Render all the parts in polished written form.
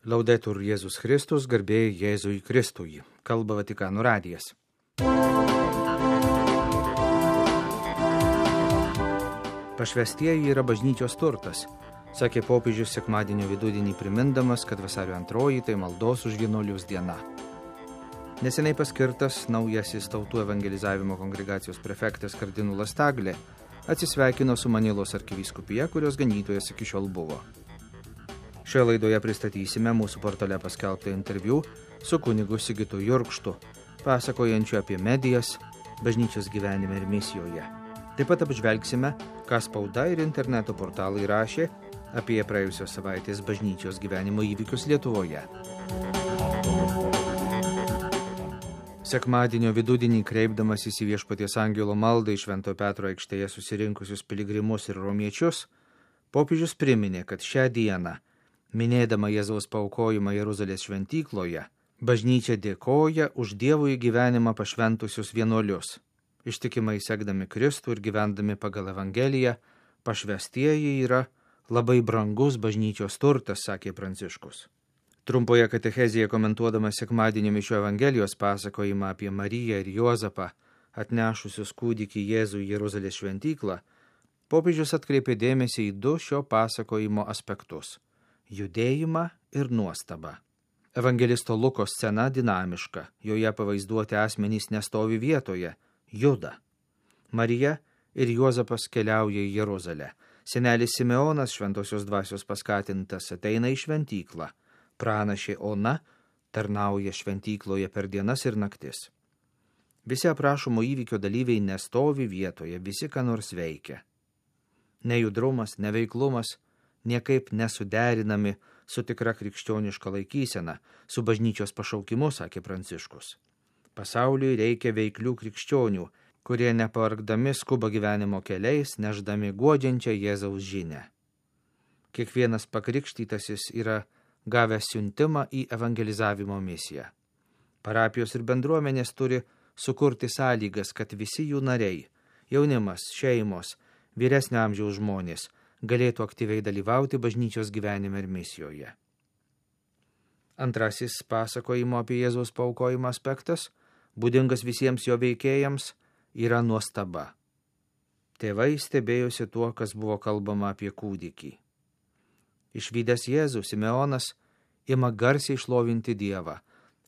Laudetur Jėzus Kristus, garbė Jėzui Kristui. Kalba Vatikano radijas. Pašvęstieji yra bažnyčios turtas, sakė popiežius sekmadienio vidudienį primindamas, kad vasario 2 tai maldos už vienuolius diena. Neseniai paskirtas naujasis tautų evangelizavimo kongregacijos prefektas kardinolas Taglė atsisveikino su Manilos arkivyskupija, kurios ganytojas iki šiol buvo. Šioje laidoje pristatysime mūsų portale paskelbtą interviu su kunigu Sigitu Jurkštu, pasakojančiu apie medijas, bažnyčios gyvenime ir misijoje. Taip pat apžvelgsime, ką spauda ir interneto portalai rašė apie praėjusios savaitės bažnyčios gyvenimo įvykius Lietuvoje. Sekmadienio vidudienį kreipdamasis į Viešpaties angelo maldą į Švento Petro aikštėje susirinkusius piligrimus ir romiečius, popiežius priminė, kad šią dieną, minėdama Jėzaus paaukojimą Jeruzalės šventykloje, bažnyčia dėkoja už Dievui gyvenimą pašventusius vienuolius. Ištikimai sekdami Kristų ir gyvendami pagal Evangeliją, pašvęstieji yra labai brangus bažnyčios turtas, sakė Pranciškus. Trumpoje katechezėje komentuodamas sekmadienio mišių Evangelijos pasakojimą apie Mariją ir Juozapą, atnešusius kūdikį Jėzų į Jeruzalės šventyklą, popiežius atkreipė dėmesį į du šio pasakojimo aspektus – judėjimą ir nuostabą. Evangelisto Luko scena dinamiška, joje pavaizduoti asmenys nestovi vietoje, juda. Marija ir Juozapas keliauja į Jeruzalę. Senelis Simeonas, šventosios dvasios paskatintas, ateina į šventyklą. Pranašė Ona tarnauja šventykloje per dienas ir naktis. Visi aprašomo įvykio dalyviai nestovi vietoje, visi ką nors veikia. Nejudrumas, neveiklumas niekaip nesuderinami su tikra krikščioniška laikysena, su bažnyčios pašaukimu, sakė Pranciškus. Pasauliui reikia veiklių krikščionių, kurie nepavargdami skuba gyvenimo keliais, neždami guodžiančią Jėzaus žinią. Kiekvienas pakrikštytasis yra gavęs siuntimą į evangelizavimo misiją. Parapijos ir bendruomenės turi sukurti sąlygas, kad visi jų nariai, jaunimas, šeimos, vyresnio amžiaus žmonės, galėtų aktyviai dalyvauti bažnyčios gyvenime ir misijoje. Antrasis pasakojimo apie Jėzaus paaukojimą aspektas, būdingas visiems jo veikėjams, yra nuostaba. Tėvai stebėjosi tuo, kas buvo kalbama apie kūdikį. Išvydęs Jėzų, Simeonas ima garsiai šlovinti Dievą.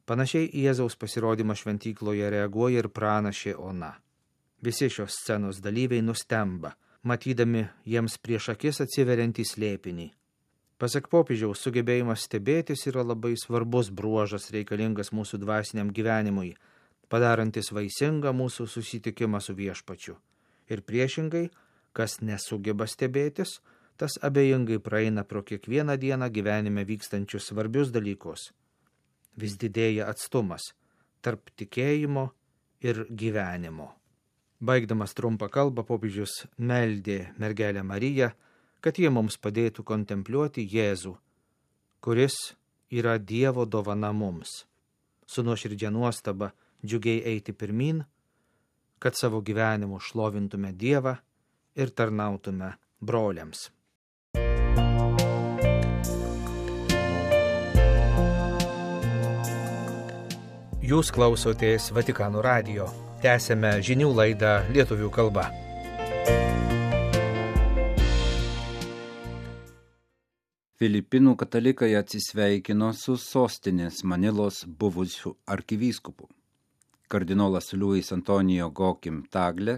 Panašiai į Jėzaus pasirodymą šventykloje reaguoja ir pranašė Ona. Visi šios scenos dalyviai nustemba, matydami jiems prieš akis atsiveriantį slėpinį. Pasak popiežiaus, sugebėjimas stebėtis yra labai svarbus bruožas reikalingas mūsų dvasiniam gyvenimui, padarantis vaisingą mūsų susitikimą su Viešpačiu. Ir priešingai, kas nesugeba stebėtis, tas abejingai praeina pro kiekvieną dieną gyvenime vykstančius svarbius dalykus. Vis didėja atstumas tarp tikėjimo ir gyvenimo. Baigdamas trumpą kalbą, popiežius meldė mergelę Mariją, kad jie mums padėtų kontempliuoti Jėzų, kuris yra Dievo dovana mums. Su nuoširdžia nuostaba džiugiai eiti pirmyn, kad savo gyvenimu šlovintume Dievą ir tarnautume broliams. Jūs klausotės Vatikano radijo. Tęsėme žinių laidą lietuvių kalba. Filipinų katalikai atsisveikino su sostinės Manilos buvusiu arkivyskupu. Kardinolas Luis Antonijo Gokim Taglė,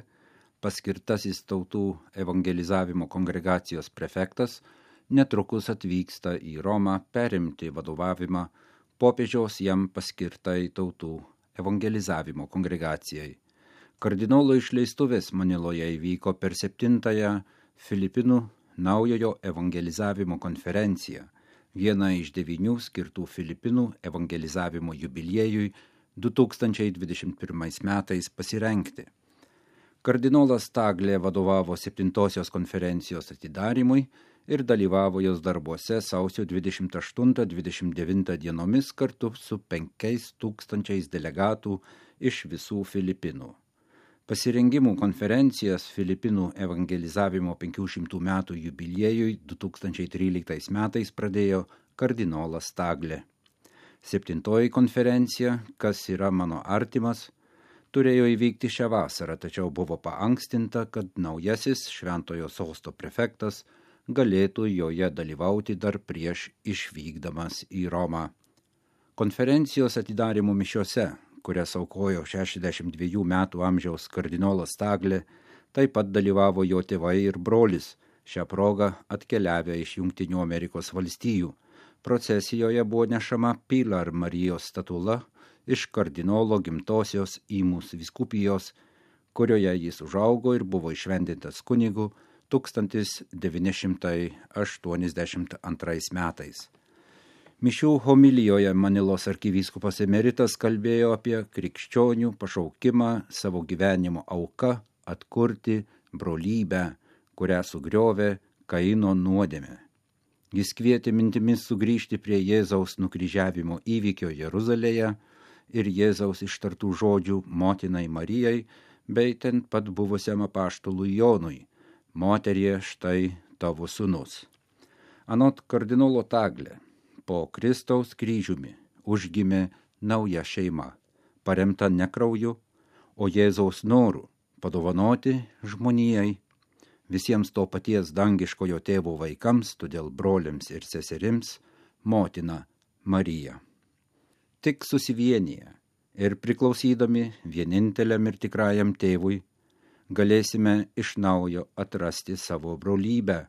paskirtasis tautų evangelizavimo kongregacijos prefektas, netrukus atvyksta į Romą perimti vadovavimą popiežiaus jam paskirtai tautų evangelizavimo kongregacijai. Kardinolo išleistuvės Maniloje įvyko per 7-ąją Filipinų naujojo evangelizavimo konferenciją, vieną iš 9 skirtų Filipinų evangelizavimo jubiliejui 2021 metais pasirengti. Kardinolas Taglė vadovavo 7-osios konferencijos atidarymui ir dalyvavo jos darbuose sausio 28-29 dienomis kartu su 5000 delegatų iš visų Filipinų. Pasirengimų konferencijas Filipinų evangelizavimo 500 metų jubiliejui 2013 metais pradėjo kardinolas Taglė. 7. konferencija, kas yra mano artimas, turėjo įvykti šią vasarą, tačiau buvo paankstinta, kad naujasis Šventojo Sosto prefektas galėtų joje dalyvauti dar prieš išvykdamas į Romą. Konferencijos atidarymo mišiose, kurias aukojo 62 metų amžiaus kardinolas Taglė, taip pat dalyvavo jo tėvai ir brolis, šią progą atkeliavę iš Jungtinių Amerikos valstijų. Procesijoje buvo nešama Pilar Marijos statula iš kardinolo gimtosios Imus vyskupijos, kurioje jis užaugo ir buvo įšventintas kunigu 1982 metais. Mišių homilijoje Manilos arkivyskupas emeritas kalbėjo apie krikščionių pašaukimą savo gyvenimo auka atkurti brolybę, kurią sugriovė Kaino nuodėmė. Jis kvietė mintimis sugrįžti prie Jėzaus nukryžiavimo įvykio Jeruzalėje ir Jėzaus ištartų žodžių motinai Marijai, bei ten pat buvusiam apaštalui Jonui: moterie, štai tavo sūnus. Anot kardinolo Taglė, po Kristaus kryžiumi užgimė nauja šeima, paremta ne krauju, o Jėzaus noru padovanoti žmonijai, visiems to paties dangiškojo tėvo vaikams, todėl broliams ir seserims, motina Marija. Tik susivienyje ir priklausydami vieninteliam ir tikrajam tėvui galėsime iš naujo atrasti savo brolybę,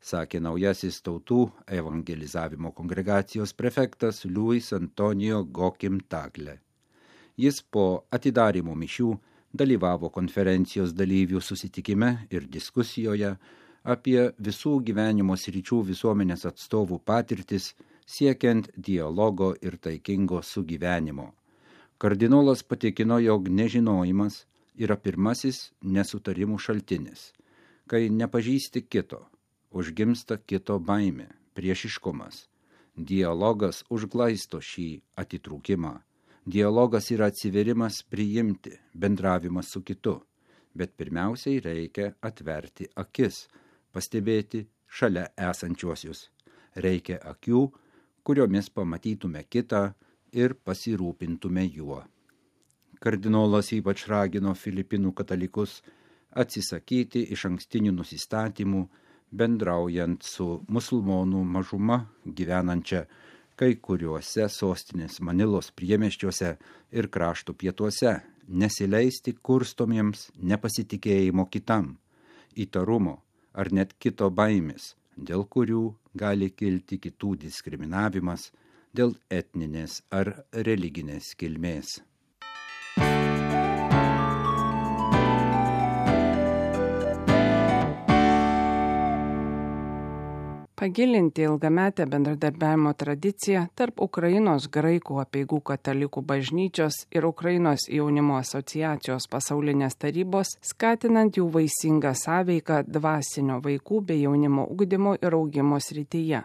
sakė naujasis tautų evangelizavimo kongregacijos prefektas Luis Antonijo Gokim Taglė. Jis po atidarymo mišių dalyvavo konferencijos dalyvių susitikime ir diskusijoje apie visų gyvenimo sričių visuomenės atstovų patirtis siekiant dialogo ir taikingo sugyvenimo. Kardinolas patikino, jog nežinojimas yra pirmasis nesutarimų šaltinis. Kai nepažįsti kito, užgimsta kito baimė, priešiškumas. Dialogas užglaisto šį atitrūkimą. Dialogas yra atsiverimas priimti, bendravimas su kitu, bet pirmiausiai reikia atverti akis, pastebėti šalia esančiuosius. Reikia akių, kuriomis pamatytume kitą ir pasirūpintume juo. Kardinolas ypač ragino Filipinų katalikus atsisakyti išankstinių nusistatymų, bendraujant su musulmonų mažuma gyvenančia kai kuriuose sostinės Manilos priemiesčiuose ir krašto pietuose, nesileisti kurstomiems nepasitikėjimo kitam, įtarumo ar net kito baimės, dėl kurių gali kilti kitų diskriminavimas dėl etninės ar religinės kilmės. Pagilinti ilgametę bendradarbiavimo tradiciją tarp Ukrainos graikų apeigų katalikų bažnyčios ir Ukrainos jaunimo asociacijos pasaulinės tarybos, skatinant jų vaisingą sąveiką dvasinio vaikų bei jaunimo ugdymo ir augimo srityje.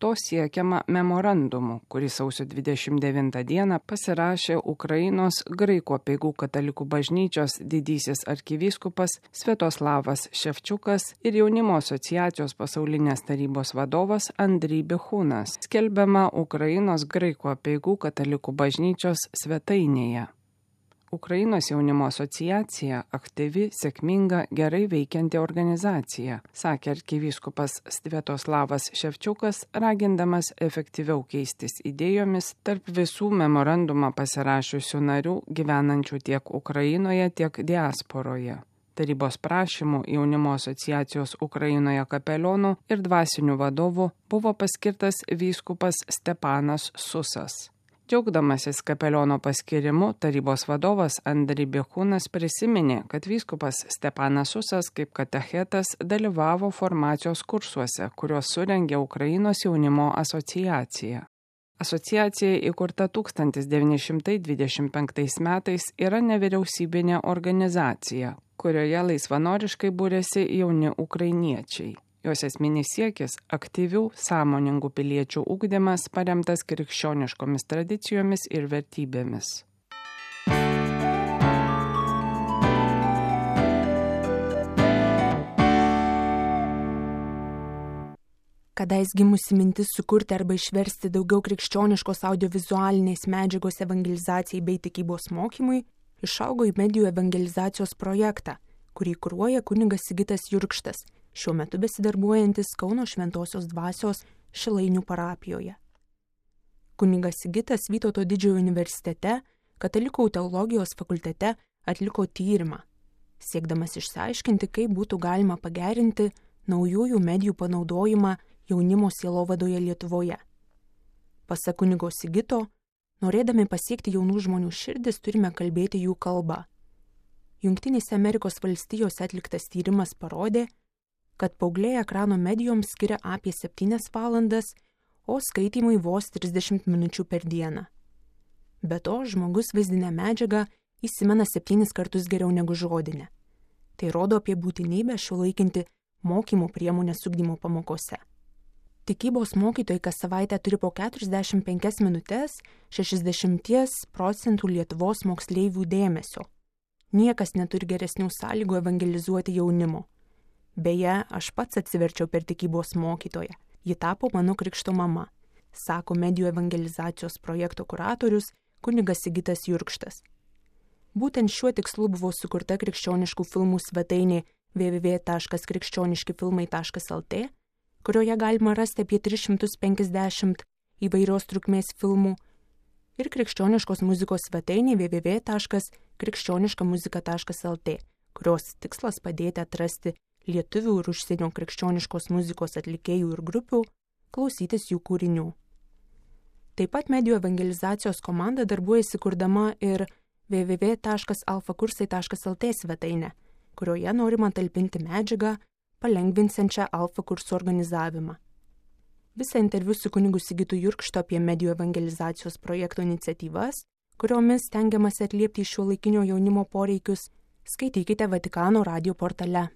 To siekiama memorandumu, kurį sausio 29 dieną pasirašė Ukrainos graikų apeigų katalikų bažnyčios didysis arkivyskupas Sviatoslavas Ševčiukas ir jaunimo asociacijos pasaulinės tarybos vadovas Andriy Bichunas, skelbiama Ukrainos graikų apeigų katalikų bažnyčios svetainėje. Ukrainos jaunimo asociacija aktyvi, sėkminga, gerai veikianti organizacija, sakė arkivyskupas Sviatoslavas Ševčiukas, ragindamas efektyviau keistis idėjomis tarp visų memorandumą pasirašiusių narių gyvenančių tiek Ukrainoje, tiek diasporoje. Tarybos prašymų jaunimo asociacijos Ukrainoje kapelionų ir dvasinių vadovų buvo paskirtas vyskupas Stepanas Susas. Džiaugdamasis kapeliono paskirimu, tarybos vadovas Andriy Bichunas prisiminė, kad vyskupas Stepanas Susas kaip katechetas dalyvavo formacijos kursuose, kuriuos surengė Ukrainos jaunimo asociacija. Asociacija įkurta 1925 metais yra nevyriausybinė organizacija, kurioje laisvanoriškai būrėsi jauni ukrainiečiai. Jos esminis siekis – aktyvių, sąmoningų piliečių ugdymas paremtas krikščioniškomis tradicijomis ir vertybėmis. kadais gimusi mintis sukurti arba išversti daugiau krikščioniškos audiovizualinės medžiagos evangelizacijai bei tikybos mokymui, išaugo į medijų evangelizacijos projektą, kurį kuruoja kunigas Sigitas Jurkštas, šiuo metu besidarbuojantis Kauno Šventosios Dvasios Šilainių parapijoje. Kunigas Sigitas Vytauto Didžiojo universitete, Katalikų teologijos fakultete atliko tyrimą, siekdamas išsiaiškinti, kaip būtų galima pagerinti naujųjų medijų panaudojimą jaunimo sielovadoje Lietuvoje. Pasak kunigo Sigito, norėdami pasiekti jaunų žmonių širdis, turime kalbėti jų kalbą. Jungtinėse Amerikos valstijose atliktas tyrimas parodė, kad paaugliai ekrano medijoms skiria apie 7 valandas, o skaitymui vos 30 minučių per dieną. Be to, žmogus vaizdinę medžiagą įsimena 7 kartus geriau negu žodinę. Tai rodo apie būtinybę šiuolaikinti mokymo priemonės ugdymo pamokose. Tikybos mokytojai kas savaitę turi po 45 minutės 60% Lietuvos moksleivių dėmesio. Niekas neturi geresnių sąlygų evangelizuoti jaunimo. Beje, aš pats atsiverčiau per tikybos mokytoją. Ji tapo mano krikšto mama, sako medijų evangelizacijos projekto kuratorius kunigas Sigitas Jurkštas. Būtent šiuo tikslu buvo sukurta krikščioniškų filmų svetainė www.krikščioniškifilmai.lt, kurioje galima rasti apie 350 įvairios trukmės filmų, ir krikščioniškos muzikos svetainė www.krikščioniškamuzika.lt, kurios tikslas padėti atrasti lietuvių ir užsienio krikščioniškos muzikos atlikėjų ir grupių, klausytis jų kūrinių. Taip pat medijų evangelizacijos komanda darbuojasi kurdama ir www.alfakursai.lt svetainę, kurioje norima talpinti medžiagą, palengvinsiančią alfa kursų organizavimą. Visą interviu su kunigu Sigitu Jurkštu apie medijų evangelizacijos projekto iniciatyvas, kuriomis stengiamasi atliepti šiuolaikinio jaunimo poreikius, skaitykite Vatikano radijo portale.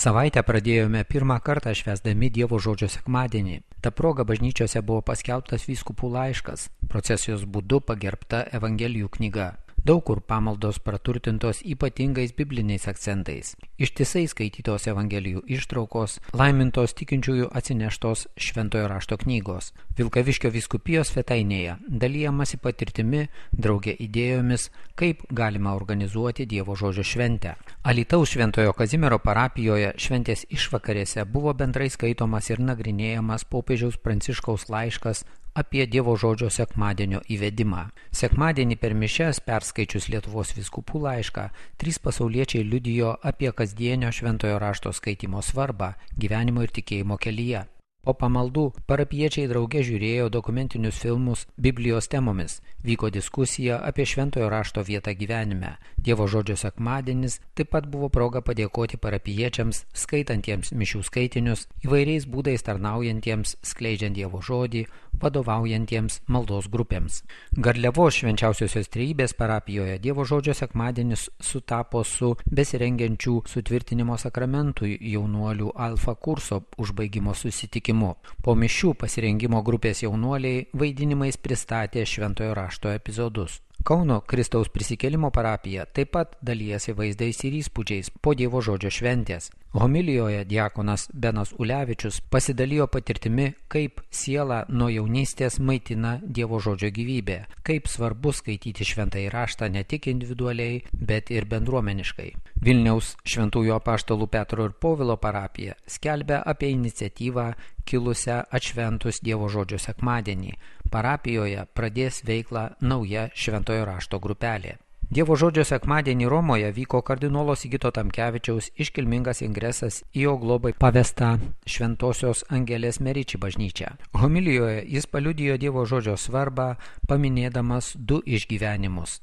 Savaitę pradėjome pirmą kartą švęsdami Dievo žodžio sekmadienį. Ta proga bažnyčiose buvo paskelbtas vyskupų laiškas, procesijos būdu pagerbta Evangelijų knyga. Daug kur pamaldos praturtintos ypatingais bibliniais akcentais. Ištisai skaitytos Evangelijų ištraukos, laimintos tikinčiųjų atsineštos Šventojo rašto knygos. Vilkaviškio vyskupijos svetainėje dalijamasi patirtimi, drauge idėjomis, kaip galima organizuoti Dievo žodžio šventę. Alytaus Šventojo Kazimiero parapijoje šventės išvakarėse buvo bendrai skaitomas ir nagrinėjamas popiežiaus Pranciškaus laiškas apie Dievo žodžio sekmadienio įvedimą. Sekmadienį per mišias perskaičius Lietuvos vyskupų laišką, 3 pasauliečiai liudijo apie kasdienio šventojo rašto skaitymo svarbą gyvenimo ir tikėjimo kelyje. Po pamaldų parapiečiai drauge žiūrėjo dokumentinius filmus Biblijos temomis, vyko diskusija apie šventojo rašto vietą gyvenime. Dievo žodžio sekmadienis taip pat buvo proga padėkoti parapiečiams, skaitantiems mišių skaitinius, įvairiais būdais tarnaujantiems, skleidžiant Dievo žodį, vadovaujantiems maldos grupėms. Garliavos Švenčiausiosios Trejybės parapijoje Dievo žodžio sekmadienis sutapo su besirengiančių sutvirtinimo sakramentui jaunuolių alfa kurso užbaigimo susitikimu. Po mišių pasirengimo grupės jaunuoliai vaidinimais pristatė šventojo rašto epizodus. Kauno Kristaus prisikėlimo parapija taip pat dalyjasi vaizdais ir įspūdžiais po Dievo žodžio šventės. Homilijoje diakonas Benas Ulevičius pasidalijo patirtimi, kaip siela nuo jaunystės maitina Dievo žodžio gyvybę, kaip svarbu skaityti šventąjį raštą ne tik individualiai, bet ir bendruomeniškai. Vilniaus Šventųjų apaštalų Petro ir Povilo parapija skelbia apie iniciatyvą kilusią atšventus Dievo žodžio sekmadienį. Parapijoje pradės veiklą nauja šventojo rašto grupelė. Dievo žodžio sekmadienį Romoje vyko kardinolo Sigito Tamkevičiaus iškilmingas ingresas į jo globai pavestą Šventosios Angelės Meriči bažnyčią. Homilijoje jis paliudijo Dievo žodžio svarbą, paminėdamas 2 išgyvenimus.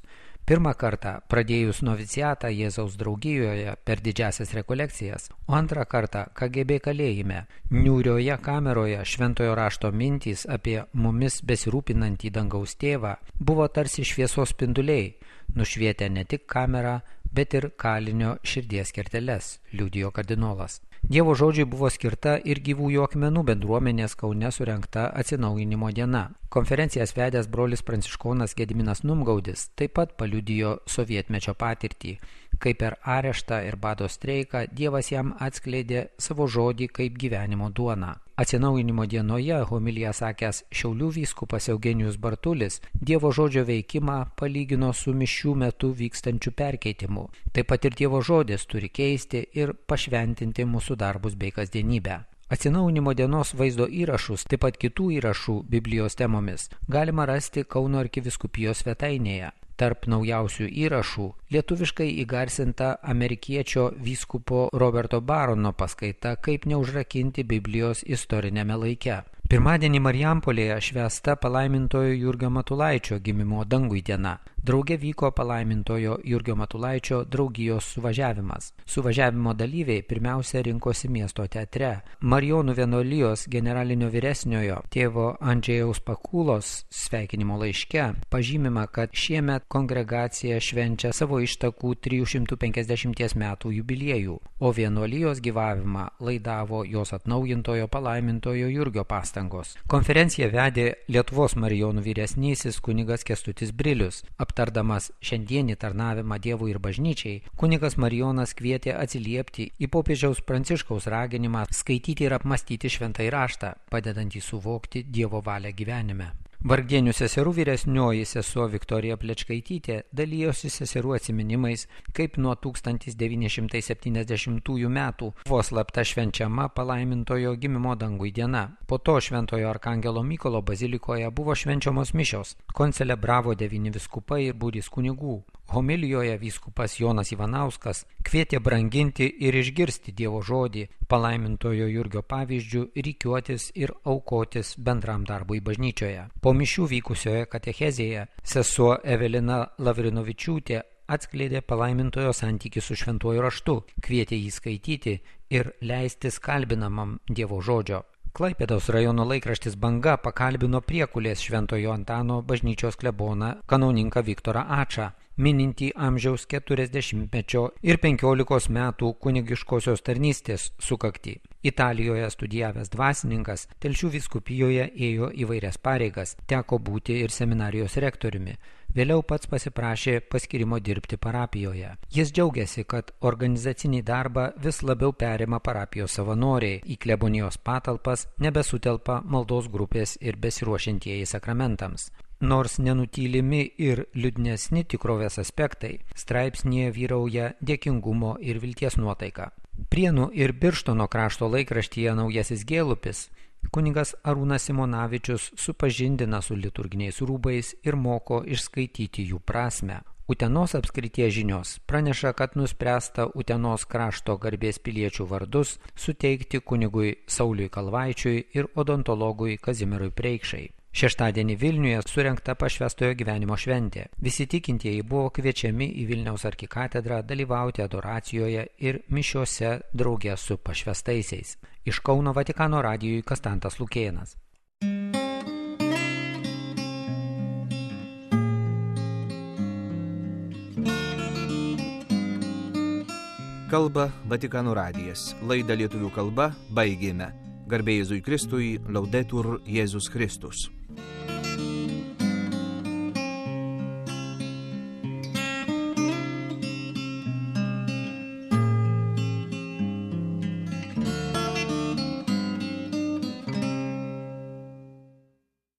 Pirmą kartą pradėjus noviciatą Jėzaus draugijoje per didžiasias rekolekcijas, o antrą kartą KGB kalėjime. Niūrioje kameroje šventojo rašto mintys apie mumis besirūpinantį dangaus tėvą buvo tarsi šviesos spinduliai, nušvietę ne tik kamerą, bet ir kalinio širdies kerteles, liudijo kardinolas. Dievo žodžiui buvo skirta ir Gyvųjų akmenų bendruomenės Kaune surengta atsinaujinimo diena. Konferencijas vedęs brolis pranciškonas Gediminas Numgaudis taip pat paliudijo sovietmečio patirtį, kai per areštą ir bado streiką Dievas jam atskleidė savo žodį kaip gyvenimo duoną. Atsinaujinimo dienoje homiliją sakęs Šiaulių vyskupas Eugenijus Bartulis Dievo žodžio veikimą palygino su mišių metu vykstančiu perkeitimu. Taip pat ir Dievo žodis turi keisti ir pašventinti mūsų darbus bei kasdienybę. Atsinaujinimo dienos vaizdo įrašus, taip pat kitų įrašų Biblijos temomis galima rasti Kauno arkivyskupijos svetainėje. Tarp naujausių įrašų lietuviškai įgarsinta amerikiečio vyskupo Roberto Barono paskaita Kaip neužrakinti Biblijos istoriniame laike. Pirmadienį Marijampolėje švęsta palaimintojo Jurgio Matulaičio gimimo dangui diena. Drauge vyko palaimintojo Jurgio Matulaičio draugijos suvažiavimas. Suvažiavimo dalyviai pirmiausia rinkosi miesto teatre. Marijonų vienuolijos generalinio vyresniojo tėvo Andžėjaus Pakūlos sveikinimo laiške pažymima, kad šiemet kongregacija švenčia savo ištakų 350 metų jubiliejų, o vienuolijos gyvavimą laidavo jos atnaujintojo palaimintojo Jurgio pastangos. Konferenciją vedė Lietuvos marijonų vyresnysis kunigas Kęstutis Brilius. Aptardamas šiandienį tarnavimą Dievui ir bažnyčiai, kunigas Marijonas kvietė atsiliepti į popiežiaus Pranciškaus raginimą skaityti ir apmastyti šventąjį raštą, padedantį suvokti Dievo valią gyvenime. Vargdienių seserų vyresnioji sesuo Viktorija Plečkaitytė dalijosi seserų atsiminimais, kaip nuo 1970 metų buvo slapta švenčiama palaimintojo gimimo dangui diena. Po to Šventojo Arkangelo Mykolo bazilikoje buvo švenčiamos mišios. Koncelebravo 9 vyskupai ir būrys kunigų. Homilijoje vyskupas Jonas Ivanauskas kvietė branginti ir išgirsti Dievo žodį, palaimintojo Jurgio pavyzdžių, rikiuotis ir aukotis bendram darbui bažnyčioje. Po mišių vykusioje katechezėje sesuo Evelina Lavrinovičiūtė atskleidė palaimintojo santykį su šventuoju raštu, kvietė jį skaityti ir leistis kalbinamam Dievo žodžio. Klaipėdos rajono laikraštis Banga pakalbino Priekulės Šventojo Antano bažnyčios kleboną kanauninką Viktorą Ačą, minintį amžiaus 40-mečio ir 15 metų kunigiškosios tarnystės sukaktį. Italijoje studijavęs dvasininkas Telšių vyskupijoje ėjo įvairias pareigas, teko būti ir seminarijos rektoriumi. Vėliau pats pasiprašė paskirimo dirbti parapijoje. Jis džiaugiasi, kad organizacinį darbą vis labiau perima parapijos savanoriai, į klebonijos patalpas nebesutelpa maldos grupės ir besiruošiantieji sakramentams. Nors nenutylimi ir liūdnesni tikrovės aspektai, straipsnėje vyrauja dėkingumo ir vilties nuotaika. Prienų ir Birštono krašto laikraštyje Naujasis Gėlupis kunigas Arūnas Simonavičius supažindina su liturginiais rūbais ir moko išskaityti jų prasmę. Utenos apskrities žinios praneša, kad nuspręsta Utenos krašto garbės piliečių vardus suteikti kunigui Sauliui Kalvaičiui ir odontologui Kazimierui Preikšai. Šeštadienį Vilniuje surengta pašvęstojo gyvenimo šventė. Visi tikintieji buvo kviečiami į Vilniaus arkikatedrą dalyvauti adoracijoje ir mišiose drauge su pašvęstaisiais. Iš Kauno Vatikano radijui Kastantas Lukėnas. Kalba Vatikano radijas. Laidą lietuvių kalba baigėme. Garbė Jėzui Kristui, Laudetur Jėzus Kristus.